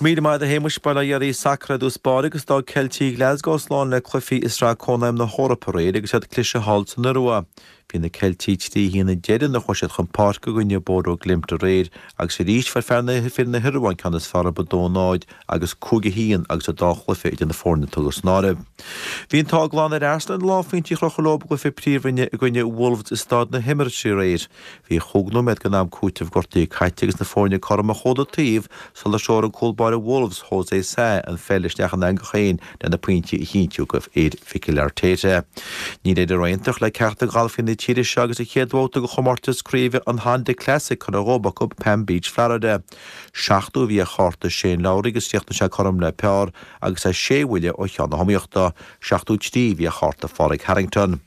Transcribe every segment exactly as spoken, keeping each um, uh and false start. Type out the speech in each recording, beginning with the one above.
Míle maith a Shéamuis. Bail ó Dhia oraibh. Sacar i dtús báire agus d'fhág Ceiltigh Glasgow slán le cluichí i Sraith Cónaidhm na hEorpa aréir agus iad cliste thall san Iorua. Bhí na Ceiltigh trí haon a deich nuair a chuaigh siad chun páirce i gcoinne Bodo Glimt aréir agus arís fuair fear na fir na hIorua an ceann is fearr orthu a dó náid agus cúig a haon agus an dá chluiche idir na foirne tugtha san áireamh. Bhí an t-ádh glan ar Arsenal na lánphointí a chrochadh leo i gcluiche Príomhroinne i gcoinne Wolves i Staid na hEmirates aréir. Bhí chúig nóiméad den am cúitimh gortaithe caite agus na foirne cothrom ó chuile taobh sular threoraigh an cúl báire Wolves, Jose Sa, an pheil isteach ina eangach féin lena pointí a chinntiú go fhir Mhikel Arteta. Níl idir aontacht le ceachtar de ghalfaí na tíre seo agus an chéad bhabhta de chomórtas craoibhe an Honda Classic curtha dhóibh acu Palm Beach, Florida. Seachtó a bhí ar chárta Shane Lowry agus chríochnaigh sé cothrom le par agus é sé bhuille ó cheann na hiomaíochta. Seachtó trí a bhí ar chárta Phádraig Harrington.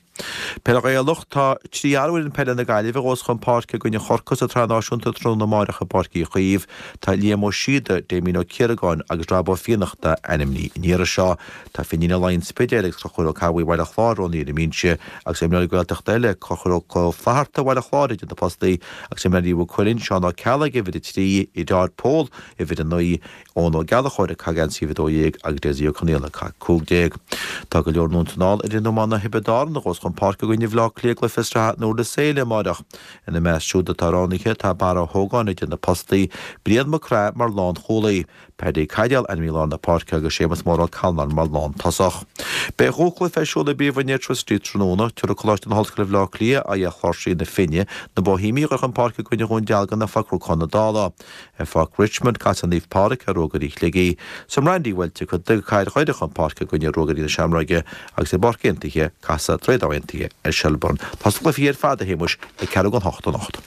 Peil Ghaelach, Tá trí fhear ó fhoireann peile na Gaillimhe a ghabhfas chun páirce i gcoinne Chorcaí sa tSraith Náisiúnta tráthnóna amáireach i bPáirc Uí Chaoimh. Tá Liam Ó Síoda, Damien Ó Ciaragáin agus Rob Ó Fiannachta ainmnithe an iarraidh seo. Tá Finín Ó Laighin Spidéil agus Conchúr Ó Cadhla Bhaile Chláir roghnaithe ar an mbinse agus imreoirí Gaeltachta eile, Conchúr Ó Flatharta Bhaile Chláir idir na postaí agus imreoirí Mhaigh Cuilinn, Seán Ó Ceallaigh uimhir a trí, Gerard Pól uimhir a naoi, Eoin Ó Gallchóir ag caitheamh geansaí uimhir a dó dhéag agus Dessie Ó Conaola ag caitheamh cúig déag. Tá go leor anonn 's anall ar fhoireann iomána Thiobraid Árann a ghabhfas chun páirce i gcoinne Bhaile Átha Cliath i gcluiche sraithe an Uirlis Éile amáireach. Ina measc siúd atá roghnaithe tá Barra Ó hÓgáin idir na postaí, Brian Mac Craith mar lánchúlaí, Paddy Caidéal ainmnithe i lár na páirce agus Séamus Mór Ó Callanáin mar lántosach. Beidh dhá chluiche ar siúl i bPríomhroinn Airtricity tráthnóna. Tabharfaidh Coláiste na hOllscoile Bhaile Átha Cliath aghaidh ar Chláirsigh na Finne, na Boihéamaigh a ghabhfaidh chun páirce i gcoinne Dhún Dealgan ar Pháirc Chnocán na Dála. Ar Pháirc Richmond, casfaidh Naomh Pádraig ar Ruagairí Shligigh. Sa mBrandywell, tiocfaidh Cathair Dhoire chun páirce i gcoinne Ruagairí na Seamróige agus i bPáirc Aontaithe, casfaidh Droichead Átha Aontaithe ar Shelbourne. Tá na cluichí ar fad, a Shéamuis, ag ceathrú don hocht anocht.